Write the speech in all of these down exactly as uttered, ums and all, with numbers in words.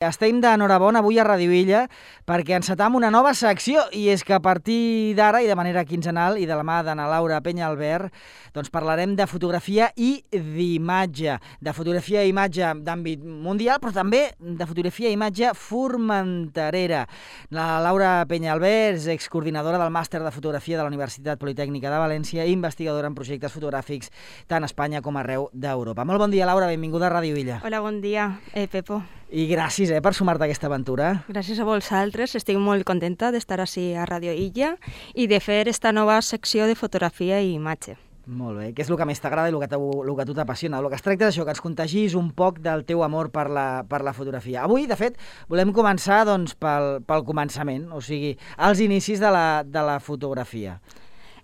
Estem d'enhorabona avui a Ràdio Illa perquè encetam una nova secció i és que a partir d'ara i de manera quinzenal i de la mà d'Anna Laura Peñalver doncs parlarem de fotografia i d'imatge, de fotografia i imatge d'àmbit mundial però també de fotografia i imatge formenterera. La Laura Peñalver és excoordinadora del màster de fotografia de la Universitat Politècnica de València i investigadora en projectes fotogràfics tant a Espanya com arreu d'Europa. Molt bon dia, Laura, benvinguda a Ràdio Illa. Hola, bon dia, eh, Pepo. I gràcies eh, per sumar-te a aquesta aventura. Gràcies a vosaltres, estic molt contenta d'estar així a Ràdio Illa i de fer esta nova secció de fotografia i imatge. Molt bé, què és el que més t'agrada i el que, el que a tu t'apassiona? El que es tracta és això, que ens contagis un poc del teu amor per la, per la fotografia. Avui, de fet, volem començar doncs, pel, pel començament, o sigui, els inicis de la, de la fotografia.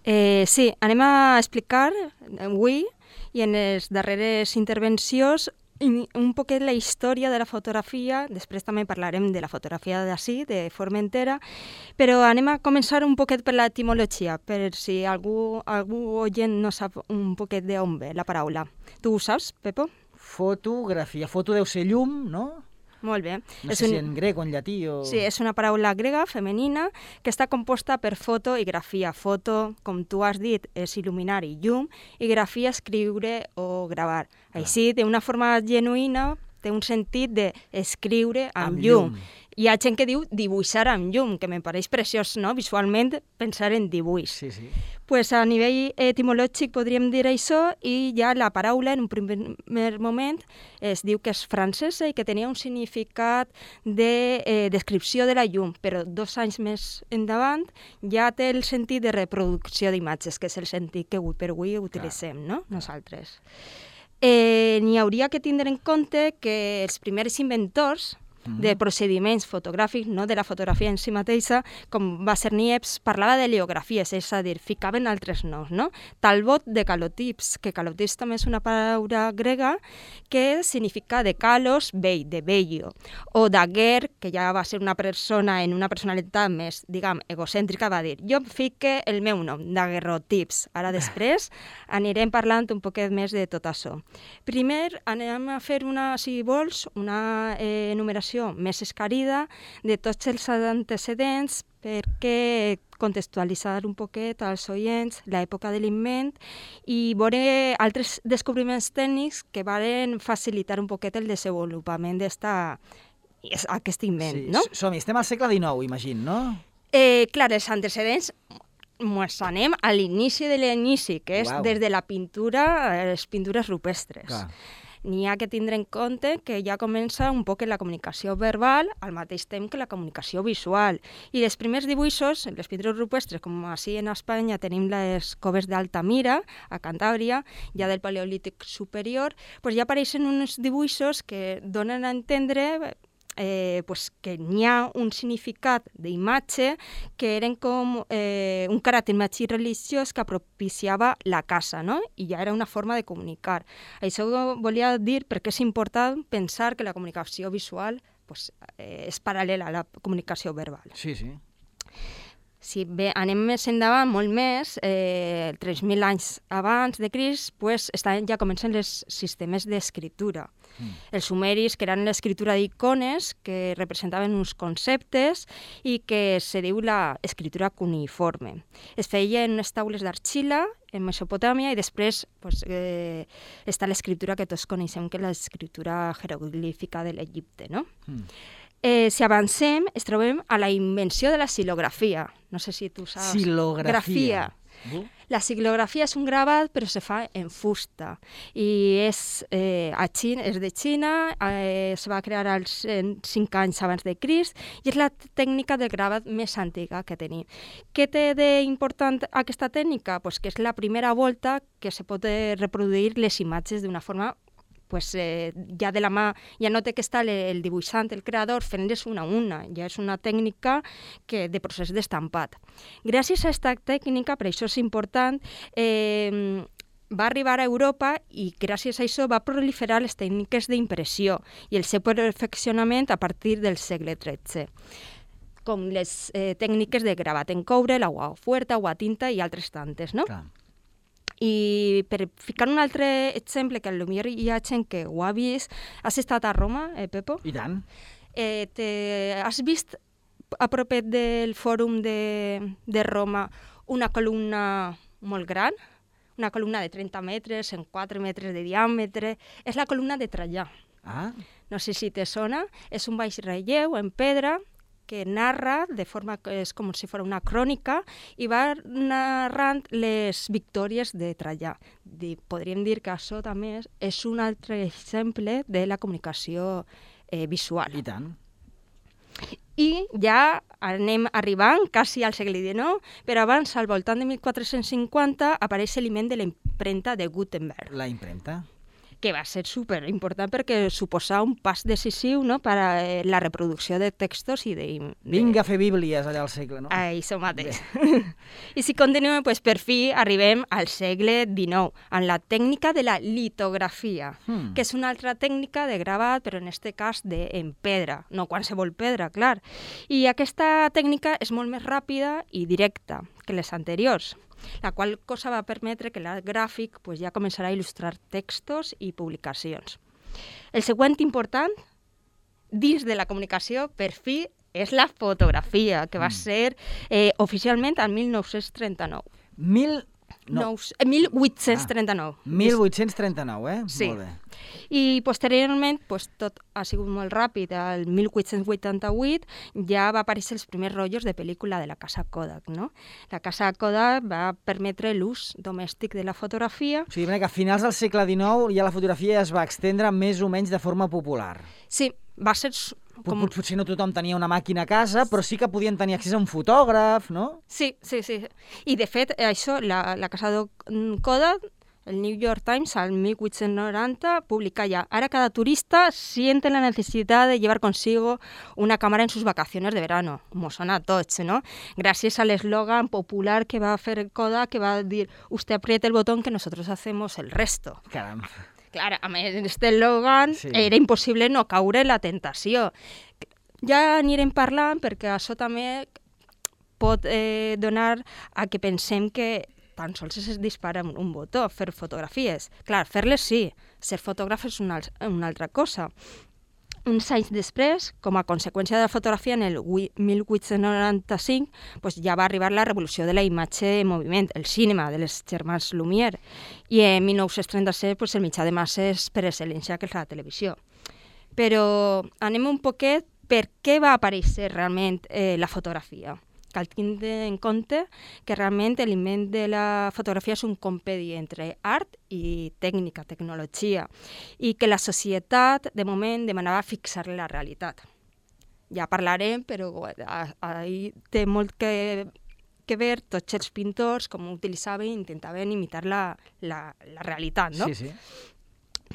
Eh, sí, anem a explicar avui i en les darreres intervencions un poquet la història de la fotografia, després també parlarem de la fotografia d'ací, de Formentera, però anem a començar un poquet per l'etimologia, per si algú, algú oient no sap un poquet d'on ve la paraula. Tu ho saps, Pepo? Fotografia. Foto deu ser llum, no? Molt bé. No sé un... si en grec o en llatí o... Sí, és una paraula grega, femenina, que està composta per foto i grafia. Foto, com tu has dit, és il·luminar i llum, i grafia, escriure o gravar. Ah. Així, d'una forma genuïna, té un sentit d'escriure amb, amb llum. llum. Hi ha gent que diu dibuixar amb llum, que me pareix preciós, no?, visualment, pensar en dibuix. Sí, sí. Pues a nivell etimològic podríem dir això, i ja la paraula, en un primer moment, es diu que és francesa i que tenia un significat de eh, descripció de la llum, però dos anys més endavant ja té el sentit de reproducció d'imatges, que és el sentit que avui per avui utilitzem, no?, nosaltres. Eh, n'hi hauria que tindre en compte que els primers inventors de procediments fotogràfics, no de la fotografia en si mateixa, com va ser Niepce, parlava de leografies, és a dir, ficaven altres noms, no? Talbot de calotips, que calotips també és una paraula grega que significa de calos, vell, de bello, o Daguerre, que ja va ser una persona en una personalitat més, diguem, egocèntrica, va dir, jo fique el meu nom, daguerrotips. Ara després anirem parlant un poquet més de tot això. Primer anem a fer una, si vols, una eh, enumeració més escarida de tots els antecedents perquè contextualitzar un poquet als oients l'època de l'invent i veure altres descobriments tècnics que van facilitar un poquet el desenvolupament d'aquest invent. Sí, no? Som-hi, estem al segle dinou, imagino, no? Eh, clar, els antecedents ens anem a l'inici de l'inici, que és Uau. Des de la pintura, les pintures rupestres. Clar. N'hi ha que tindre en compte que ja comença un poc la comunicació verbal al mateix temps que la comunicació visual. I els primers dibuixos, les pintures rupestres, com així en Espanya tenim les coves d'Altamira, a Cantàbria, ja del Paleolític superior, doncs ja apareixen uns dibuixos que donen a entendre Eh, pues que n'hi ha un significat d'imatge que eren com eh, un caràcter més religiós que propiciava la casa, no? I ja era una forma de comunicar. Això volia dir perquè és important pensar que la comunicació visual pues, eh, és paral·lela a la comunicació verbal. Sí, sí. Si bé, anem més endavant, molt més, eh, tres mil anys abans de Crist, pues, estan, ja comencen els sistemes d'escriptura. Mm. Els sumeris, que eren l'escriptura d'icones, que representaven uns conceptes i que se diu l'escriptura cuneiforme. Es feia en unes taules d'argila en Mesopotàmia i després pues, eh, està l'escriptura que tots coneixem, que és l'escriptura jeroglífica de l'Egipte, no? Mm. Eh, si avancem, es trobem a la invenció de la xilografia. No sé si tu saps. Xilografia. Uh? La xilografia és un gravat, però se fa en fusta. I és, eh, a Xina, és de Xina, eh, es va crear als cinc anys abans de Crist, i és la tècnica de gravat més antiga que tenim. Què té d'important aquesta tècnica? Pues que és la primera volta que se pot reproduir les imatges d'una forma pues, eh, ja de la mà, ja no té que estar el dibuixant, el creador, fent-les una a una. Ja és una tècnica que, de procés d'estampat. Gràcies a aquesta tècnica, per això és important, eh, va arribar a Europa i gràcies a això va proliferar les tècniques d'impressió i el seu perfeccionament a partir del segle tretze, com les eh, tècniques de gravat en coure, l'aigua fuerta, agua tinta i altres tantes, no? Clar. I per ficar un altre exemple, que potser hi ha gent que ho ha vist, has estat a Roma, eh, Pepo? I tant. Eh, te, has vist a propet del Fòrum de, de Roma una columna molt gran? Una columna de trenta metres en quatre metres de diàmetre. És la columna de Trajà. Ah. No sé si te sona. És un baix relleu en pedra que narra de forma que és com si fos una crònica i va narrant les victòries de Trajà. Podríem dir que això també és un altre exemple de la comunicació eh, visual. I tant. I ja anem arribant quasi al segle dinou, però abans, al voltant de mil quatre-cents cinquanta, apareix l'element de la impremta de Gutenberg. La impremta. Que va ser superimportant perquè suposava un pas decisiu, no?, per a eh, la reproducció de textos i de... Vinga a fer bíblies allà al segle, no? Ah, això mateix. I si continuem, pues, per fi arribem al segle dinou, amb la tècnica de la litografia, hmm. que és una altra tècnica de gravat, però en aquest cas de, en pedra, no qualsevol pedra, clar. I aquesta tècnica és molt més ràpida i directa que les anteriors, la qual cosa va permetre que l'art gràfic pues, ja començarà a il·lustrar textos i publicacions. El següent important, dins de la comunicació, per fi, és la fotografia, que va mm. ser eh, oficialment el mil nou-cents trenta-nou. Mil... No. mil vuit-cents trenta-nou. Ah, mil vuit-cents trenta-nou, eh? Sí. Molt bé. I posteriorment, pues, tot ha sigut molt ràpid. El mil vuit-cents vuitanta-vuit ja va aparèixer els primers rotllos de pel·lícula de la casa Kodak, no? La casa Kodak va permetre l'ús domèstic de la fotografia. O sigui, que a finals del segle dinou ja la fotografia es va estendre més o menys de forma popular. Sí, va ser... Com... Potser no tothom tenia una màquina a casa, però sí que podien tenir accés a un fotògraf, no? Sí, sí, sí. I, de fet, això, la, la casa Kodak, el New York Times, al mil vuit-cents noranta, publica ya: ahora cada turista siente la necesidad de llevar consigo una cámara en sus vacaciones de verano. Como son a tots, ¿no? Gràcies al eslogan popular que va fer Kodak, que va dir: usted apriete el botón que nosotros hacemos el resto. Caram. Clar, amb aquest eslògan sí. Era impossible no caure en la tentació. Ja anirem parlant perquè això també pot eh, donar a que pensem que tan sols es dispara un botó, fer fotografies. Clar, fer-les sí, ser fotògraf és una, una altra cosa. Uns anys després, com a conseqüència de la fotografia, en el mil vuit-cents noranta-cinc, pues ja va arribar la revolució de la imatge en moviment, el cinema de les germans Lumière, i en mil nou-cents trenta-set pues, el mitjà de masses per excel·lència, que és la televisió. Però anem un poquet per què va aparèixer realment eh, la fotografia. Cal tindre en compte que realment l'invent de la fotografia és un compedi entre art i tècnica, tecnologia, i que la societat, de moment, demanava fixar la realitat. Ja parlarem, però ahí té molt que, que ver tots els pintors, com utilitzaven i intentaven imitar la, la, la realitat, no? Sí, sí.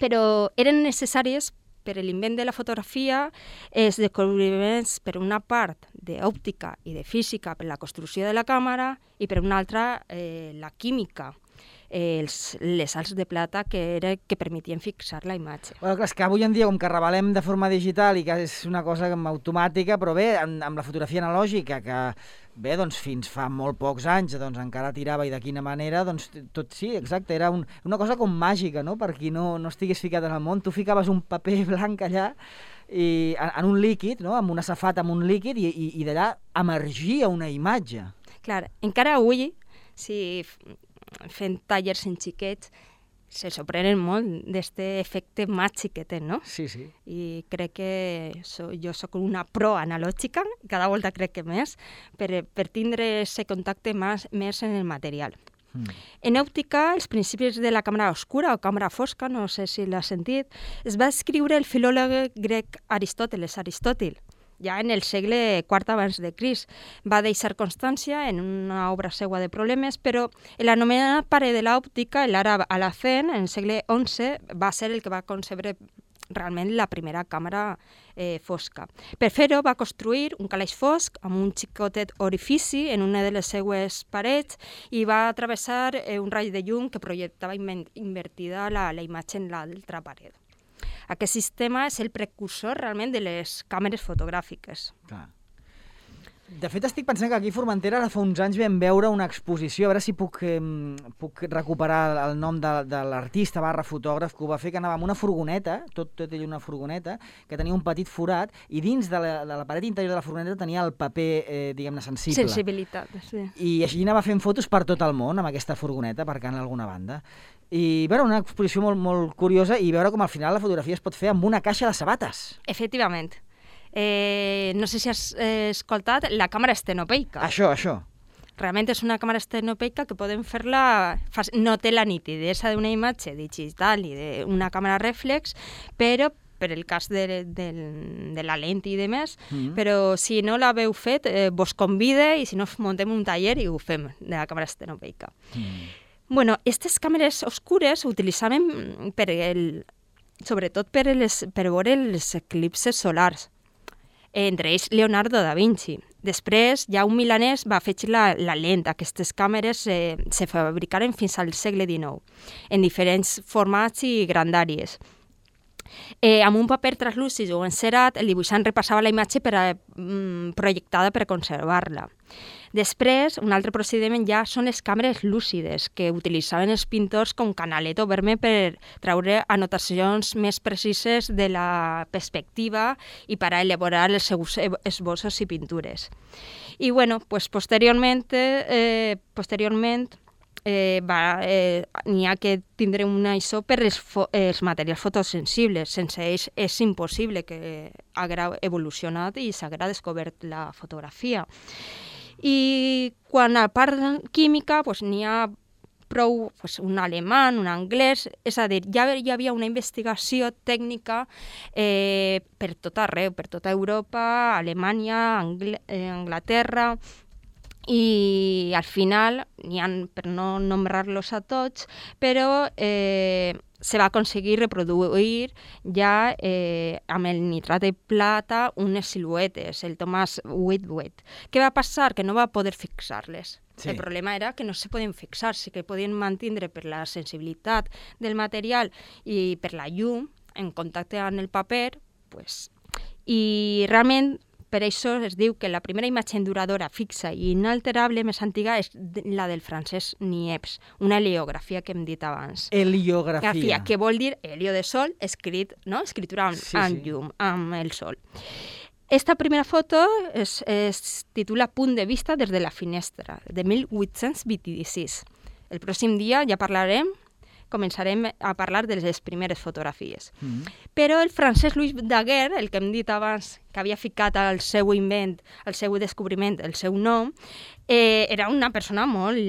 Però eren necessàries per l'invent de la fotografia els descobriments, per una part, d'òptica i de física per la construcció de la càmera i per una altra, eh, la química, eh, els, les sals de plata que, era, que permetien fixar la imatge. Bueno, clar, és que avui en dia, com que revelem de forma digital i que és una cosa automàtica, però bé, amb, amb la fotografia analògica, que bé, doncs fins fa molt pocs anys doncs encara tirava i de quina manera, doncs tot sí, exacte, era un, una cosa com màgica, no?, per qui no, no estigués ficat en el món. Tu ficaves un paper blanc allà i, en, en un líquid, no?, amb una safata amb un líquid i, i, i d'allà emergia una imatge. Clar, encara avui, si fent tallers en xiquets, se sorprenen molt d'aquest efecte màgic que té, no? Sí, sí. I crec que so, jo sóc una pro analògica, cada volta crec que més, per, per tindre aquest contacte més, més en el material. Mm. En òptica, els principis de la càmera oscura o càmera fosca, no sé si l'has sentit, es va escriure el filòleg grec Aristòteles, Aristòtil, ja en el segle quart abans de Crist. Va deixar constància en una obra seua de problemes, però l'anomenat pare de l'òptica, l'àrab Alacén, en el segle onze, va ser el que va concebre realment la primera càmera eh, fosca. Per fer-ho va construir un calaix fosc amb un xicotet orifici en una de les seues parets i va travessar eh, un raig de llum que projectava invertida la, la imatge en l'altra paret. Aquest sistema és el precursor realment de les càmeres fotogràfiques. Clar. De fet, estic pensant que aquí a Formentera ara fa uns anys vam veure una exposició, a veure si puc, eh, puc recuperar el nom de, de l'artista barra fotògraf que ho va fer, que anava amb una furgoneta, tot, tot ell una furgoneta, que tenia un petit forat, i dins de la, de la paret interior de la furgoneta tenia el paper, eh, diguem-ne, sensible. Sensibilitat, sí. I així anava fent fotos per tot el món amb aquesta furgoneta, aparcant a alguna banda. I veure, una exposició molt, molt curiosa i veure com al final la fotografia es pot fer amb una caixa de sabates. Efectivament. Eh, no sé si has eh, escoltat la càmera estenopeica. Això, això. Realment és una càmera estenopeica que podem fer-la... No té la nitidesa d'una imatge digital i d'una càmera reflex, però per el cas de, de, de la lent i demés, mm. però si no l'haveu fet, eh, vos convide i si no muntem un taller i ho fem de la càmera estenopeica. Mm. Bueno, aquestes càmeres oscures utilitzaven per el, sobretot per, les, per veure els eclipses solars, entre ells Leonardo da Vinci. Després, ja un milanès va afegir la, la lent. Aquestes càmeres eh, se fabricaren fins al segle dinou, en diferents formats i grandàries. Eh, amb un paper translúcid o encerat, el dibuixant repassava la imatge per a, mm, projectada per conservar-la. Després, un altre procediment ja són les càmeres lúcides, que utilitzaven els pintors com canalet o verme per treure anotacions més precises de la perspectiva i per a elaborar els seus esbossos i pintures. I bueno, pues posteriorment, eh, posteriorment eh, va, eh, n'hi ha que tindre una I S O per els, fo els materials fotosensibles. Sense ells és impossible que haguera evolucionat i s'haguera descobert la fotografia. I quan a part química pues, n'hi ha prou pues, un alemany, un anglès, és a dir, ja hi havia una investigació tècnica eh, per tot arreu, per tota Europa, Alemanya, Angl eh, Anglaterra, i al final, n'hi ha, per no nombrar-los a tots, però eh, se va aconseguir reproduir ja eh, amb el nitrat de plata unes siluetes, el Thomas Whitworth. Què va passar? Que no va poder fixar-les. Sí. El problema era que no se podien fixar, sí que podien mantenir per la sensibilitat del material i per la llum en contacte amb el paper, pues, i realment per això es diu que la primera imatge enduradora, fixa i inalterable més antiga és la del francès Niepce, una heliografia que hem dit abans. Heliografia. Grafia, que vol dir helio de sol, escrit, no? Escritura amb, sí, amb sí. llum, amb el sol. Esta primera foto es, es titula Punt de vista des de la finestra, de mil vuit-cents vint-i-sis. El pròxim dia ja parlarem començarem a parlar de les primeres fotografies. Mm. Però el francès Louis Daguerre, el que hem dit abans, que havia ficat al seu invent, al seu descobriment, el seu nom, eh, era una persona molt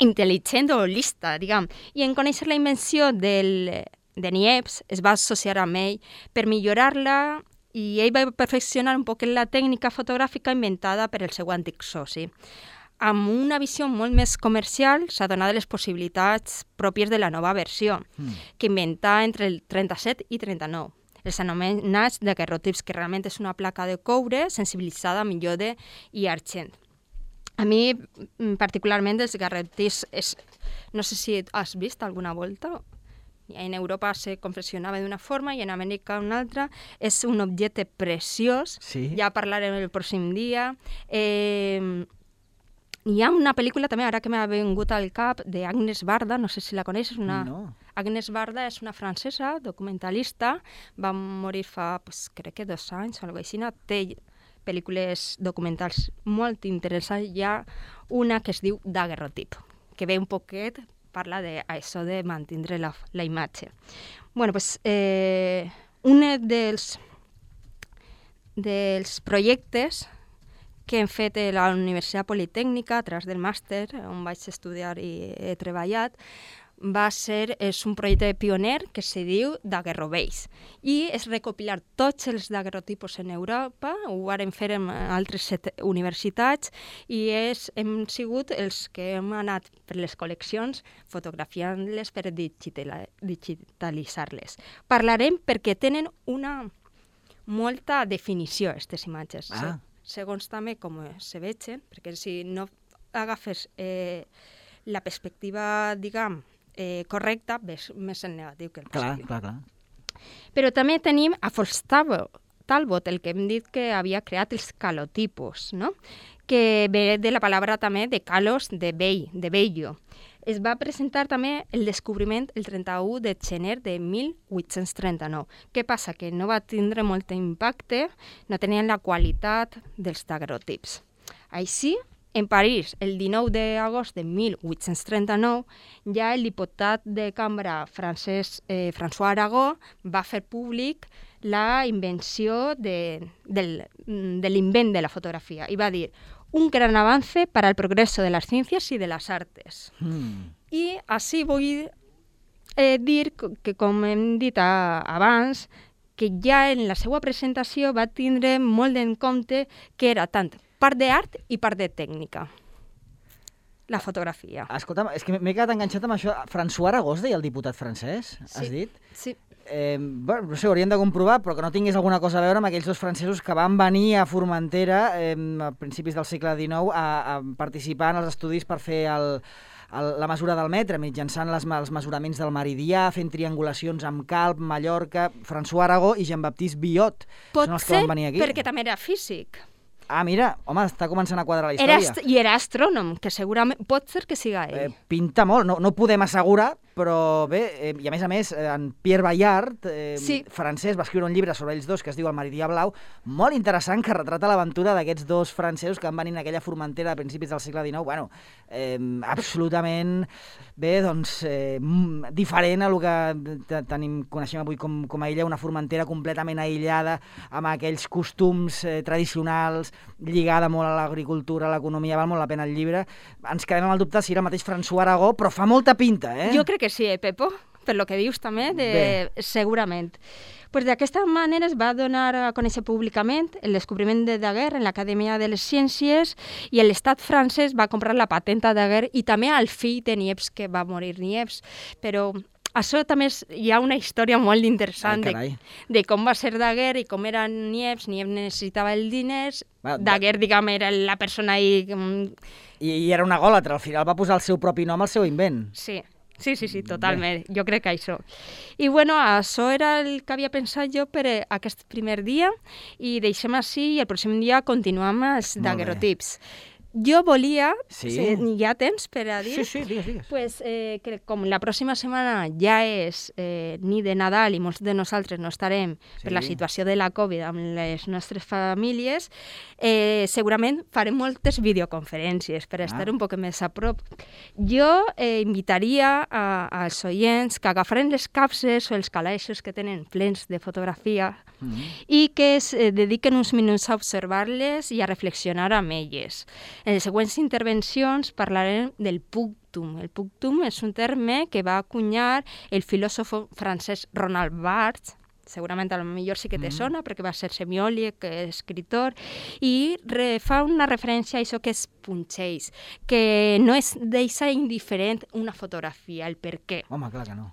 intel·ligent o lista, diguem. I en conèixer la invenció del, de Niepce es va associar amb ell per millorar-la i ell va perfeccionar un poc la tècnica fotogràfica inventada per el seu antic soci. Amb una visió molt més comercial, s'ha donat les possibilitats pròpies de la nova versió, mm. que inventà entre el trenta-set i trenta-nou. Els anomenats daguerrotips, que realment és una placa de coure sensibilitzada amb iode i argent. A mi, particularment, els daguerrotips, és... no sé si has vist alguna volta. En Europa se confeccionava d'una forma i en Amèrica una altra. És un objecte preciós, sí. Ja parlarem el pròxim dia. Eh... Hi ha una pel·lícula també, ara que m'ha vingut al cap, d'Agnes Varda, no sé si la coneixes. Una... No. Agnes Varda és una francesa, documentalista, va morir fa, pues, crec que dos anys o alguna cosa així. Té pel·lícules documentals molt interessants. Hi ha una que es diu Daguerrotip, que ve un poquet, parla d'això de mantenir la, la imatge. Bueno, pues, eh, un dels, dels projectes que hem fet a la Universitat Politècnica a través del màster, on vaig estudiar i he treballat, va ser, és un projecte pioner que se diu Daguerroveis i és recopilar tots els daguerrotipos en Europa, ho vam fer en altres set universitats i és, hem sigut els que hem anat per les col·leccions fotografiant-les per digitalitzar-les. Parlarem perquè tenen una molta definició, aquestes imatges. Ah. Segons també com se vegen, perquè si no agafes eh, la perspectiva, diguem, eh, correcta, ves més en negatiu que el positiu. Clar, clar, clar. Però també tenim a Folstavo, Talbot, el que hem dit que havia creat els calotipos, no? Que ve de la paraula també de calos, de vell, de vello. Es va presentar també el descobriment el trenta-u de gener de mil vuit-cents trenta-nou. Què passa? Que no va tindre molt impacte, no tenien la qualitat dels daguerrotips. Així, en París, el dinou d'agost de mil vuit-cents trenta-nou, ja el diputat de cambra francès eh, François Arago va fer públic la invenció de, del, de l'invent de la fotografia i va dir un gran avance para el progreso de las ciencias y de las artes. Mm. I així vull eh, dir que, com hem dit a, abans, que ja en la seva presentació va tindre molt en compte que era tant part d'art i part de tècnica, la fotografia. Escolta'm, és que m'he quedat enganxat amb això. François Arago es deia el diputat francès, has sí, dit? Sí. Eh, bueno, no sé, hauríem de comprovar, però que no tingués alguna cosa a veure amb aquells dos francesos que van venir a Formentera eh, a principis del segle dinou a, a participar en els estudis per fer el, el, la mesura del metre, mitjançant les, els mesuraments del meridià, fent triangulacions amb Calp, Mallorca, François Arago i Jean-Baptiste Biot. Pot són els ser que van venir aquí. perquè també era físic. Ah, mira, home, està començant a quadrar la Era història. I era astrònom, que segurament pot ser que siga ell. Eh, pinta molt, no, no podem assegurar, però bé, eh, i a més a més, eh, en Pierre Bayard, eh, sí. francès, va escriure un llibre sobre ells dos que es diu El meridià blau, molt interessant, que retrata l'aventura d'aquests dos francesos que van venir en aquella Formentera a principis del segle dinou. Bueno, eh, absolutament, bé, doncs, eh, diferent a lo que tenim, coneixem avui com, com a illa, una Formentera completament aïllada, amb aquells costums eh, tradicionals, lligada molt a l'agricultura, a l'economia, val molt la pena el llibre. Ens quedem amb el dubte si era el mateix François Arago, però fa molta pinta, eh? Jo crec que sí, eh, Pepo? Per lo que dius també, de... segurament. Pues d'aquesta manera es va donar a conèixer públicament el descobriment de Daguerre en l'Acadèmia de les Ciències i l'estat francès va comprar la patenta de Daguerre i també al fill de Niepce, que va morir Niepce. Però això també és, hi ha una història molt interessant Ai, de, de com va ser Daguerre i com era Niepce. Niepce necessitava els diners, bueno, Daguerre, diguem, era la persona ahí... I, I era una gòlatra, al final va posar el seu propi nom al seu invent. Sí. Sí, sí, sí, totalment. Bé. Jo crec que això. I bueno, això era el que havia pensat jo per aquest primer dia i deixem així i el pròxim dia continuem amb els daguerrotips. Jo volia, sí. hi ha temps per a dir, sí, sí, digues, digues. Pues, eh, que com la pròxima setmana ja és eh, nit de Nadal i molts de nosaltres no estarem sí. per la situació de la Covid amb les nostres famílies, eh, segurament farem moltes videoconferències per ah. estar un poc més a prop. Jo eh, invitaria a, als oients que agafaren les capses o els calaixos que tenen plens de fotografia mm. i que es eh, dediquen uns minuts a observar-les i a reflexionar amb elles. En les següents intervencions parlarem del punctum. El punctum és un terme que va acunyar el filòsof francès Roland Barthes, segurament a lo millor sí que te sona, mm. perquè va ser semiòleg, escritor, i re, fa una referència a això que és punxeix, que no és deixa indiferent una fotografia, el per què. Home, clar que no.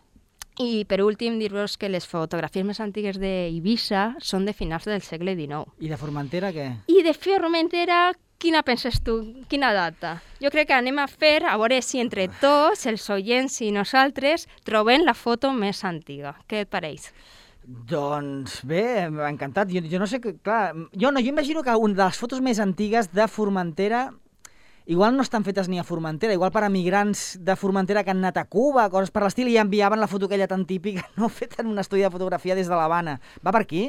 I per últim, dir-vos que les fotografies més antigues d'Eivissa són de finals del segle dinou. I de Formentera què? I de Formentera, quina penses tu? Quina data? Jo crec que anem a fer, a veure si entre tots, els oients i nosaltres, trobem la foto més antiga. Què et pareix? Doncs bé, m'ha encantat. Jo, jo no sé, clar, jo, no, jo imagino que una de les fotos més antigues de Formentera igual no estan fetes ni a Formentera, igual per a migrants de Formentera que han anat a Cuba, coses per l'estil, i enviaven la foto aquella tan típica, no feta en un estudi de fotografia des de l'Havana. Va per aquí?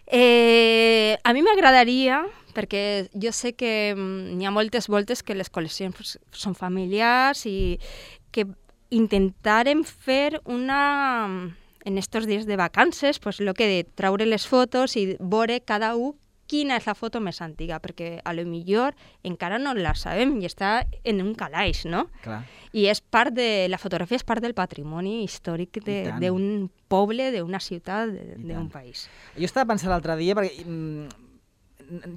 Eh, a mi m'agradaria, perquè jo sé que n'hi ha moltes voltes que les col·leccions són familiars i que intentarem fer una... en estos dies de vacances, pues lo que de traure les fotos i veure cada un quina és la foto més antiga, perquè a lo millor encara no la sabem i està en un calaix, no? Clar. I és part de, la fotografia és part del patrimoni històric d'un poble, d'una ciutat, d'un país. Jo estava pensant l'altre dia, perquè mm,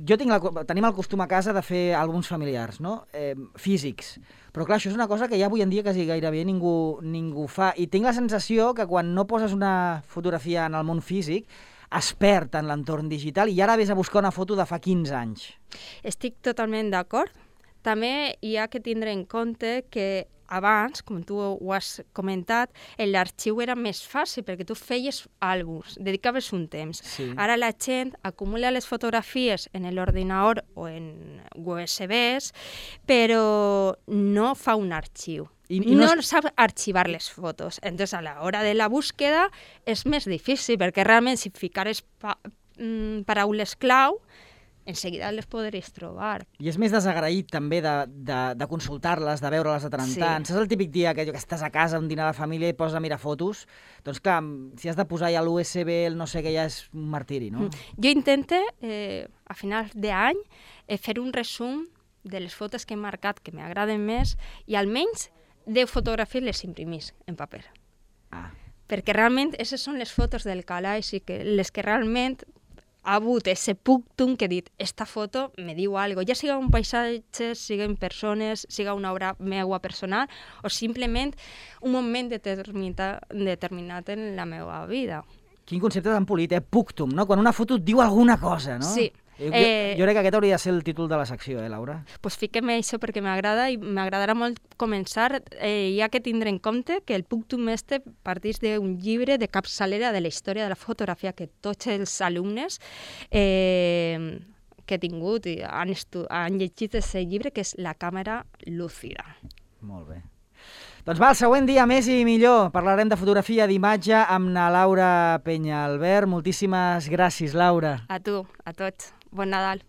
jo tinc la, tenim el costum a casa de fer àlbums familiars, no? Eh, físics. Però clar, això és una cosa que ja avui en dia quasi gairebé ningú, ningú fa. I tinc la sensació que quan no poses una fotografia en el món físic, es perd en l'entorn digital i ara ves a buscar una foto de fa quinze anys. Estic totalment d'acord, També hi ha que tindre en compte que abans, com tu ho has comentat, l'arxiu era més fàcil perquè tu feies àlbums, dedicaves un temps. Sí. Ara la gent acumula les fotografies en l'ordinador o en U S Bs, però no fa un arxiu. I, i no, no es... sap arxivar les fotos. Entonces, a l'hora de la búsqueda és més difícil, perquè realment si ficares pa mm, paraules clau, en seguida les podries trobar. I és més desagraït també de, de, de consultar-les, de veure-les de tant en Sí. tant. Saps el típic dia que, que estàs a casa, un dinar de família i poses a mirar fotos? Doncs clar, si has de posar ja l'U S B, el no sé què, ja és un martiri, no? Mm. Jo intento, eh, a finals d'any, eh, fer un resum de les fotos que he marcat que m'agraden més i almenys deu fotografies les imprimís en paper. Ah. Perquè realment aquestes són les fotos del calaix i que les que realment ha hagut ese punctum que he dit, esta foto me diu algo, ja siga un paisatge, siguen persones, siga una obra meua personal o simplement un moment determinat, determinat en la meva vida. Quin concepte tan polit, eh? Punctum, no? Quan una foto et diu alguna cosa, no? Sí. Jo, Eh, jo crec que aquest hauria de ser el títol de la secció, eh, Laura? Pues fiquem això perquè m'agrada i m'agradarà molt començar. Eh, hi ha que tindre en compte que el punctum este parteix d'un llibre de capçalera de la història de la fotografia que tots els alumnes eh, que he tingut i han, han llegit aquest llibre, que és La càmera lúcida. Molt bé. Doncs va, el següent dia més i millor. Parlarem de fotografia d'imatge amb na Laura Peñalver. Moltíssimes gràcies, Laura. A tu, a tots. Bon Nadal.